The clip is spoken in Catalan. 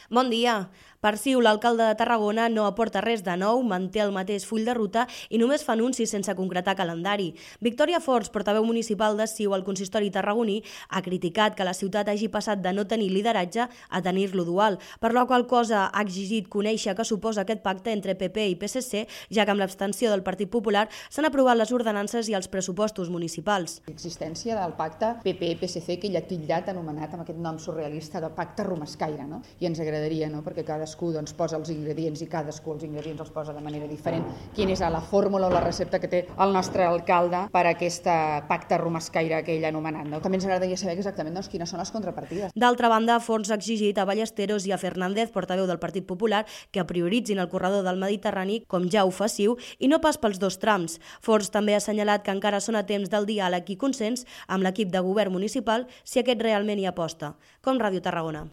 Bon dia. Per Ciu, l'alcalde de Tarragona no aporta res de nou, manté el mateix full de ruta i només fa anuncis sense concretar calendari. Victòria Forns, portaveu municipal de Ciu al consistori tarragoní, ha criticat que la ciutat hagi passat de no tenir lideratge a tenir-lo dual, per la qual cosa ha exigit conèixer què suposa aquest pacte entre PP i PSC, ja que amb l'abstenció del Partit Popular s'han aprovat les ordenances i els pressupostos municipals. L'existència del pacte PP-PSC, que ell ha titllat, anomenat amb aquest nom surrealista de pacte romescaire, no? I ens agradaria, no? Perquè cadascú posa els ingredients i cadascú els ingredients els posa de manera diferent. Quina és la fórmula o la recepta que té el nostre alcalde per a aquest pacte romescaire que ell ha anomenat, no? També ens agradaria saber exactament quines són les contrapartides. D'altra banda, Forns ha exigit a Ballesteros i a Fernández, portaveu del Partit Popular, que prioritzin el corredor del Mediterrani, com ja ho fa Ciu, i no pas pels dos trams. Forns també ha assenyalat que encara són a temps del diàleg i consens amb l'equip de govern municipal si aquest realment hi aposta. Com Ràdio Tarragona.